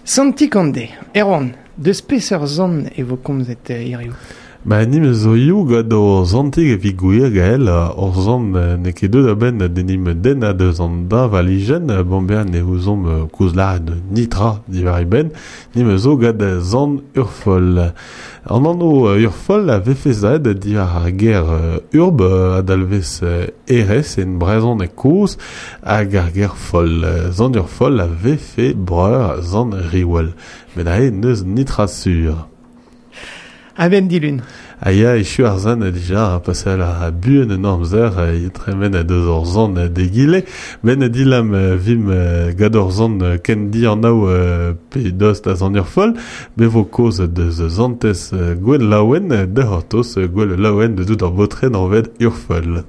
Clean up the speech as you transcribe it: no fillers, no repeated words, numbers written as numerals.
Santi Kande, Erwan, deus peseurt zant e vo komzet hiziv? Ba nim zo ioù gant o zantig evit gwir gael ur zant n'eo ket deuet a-benn d'enim den a deus an da valijenn bon bezañ ne ouzomp koulz lâret nitra diwar e benn nim zo gant zant Urfol. An anv Urfol a vefe zaet diwar ar ger urb a dalvez erez en brezhoneg kozh hag ar ger foll. Zant Urfol a vefe breur zant Riwal. Met aze n'eus nitra sur. A-benn dilun. A ya, echu ar zant dija, pasal a buan un amzer, e tremen a deus ur zant d'egile, ben dilam vim gant ur zant ken dianav pe dost a zant Urfol, be vo kaoz deus zantez Gwenn Laouen, da c'hortoz Gwenn Laouen de dout ar baotred anvet Urfol.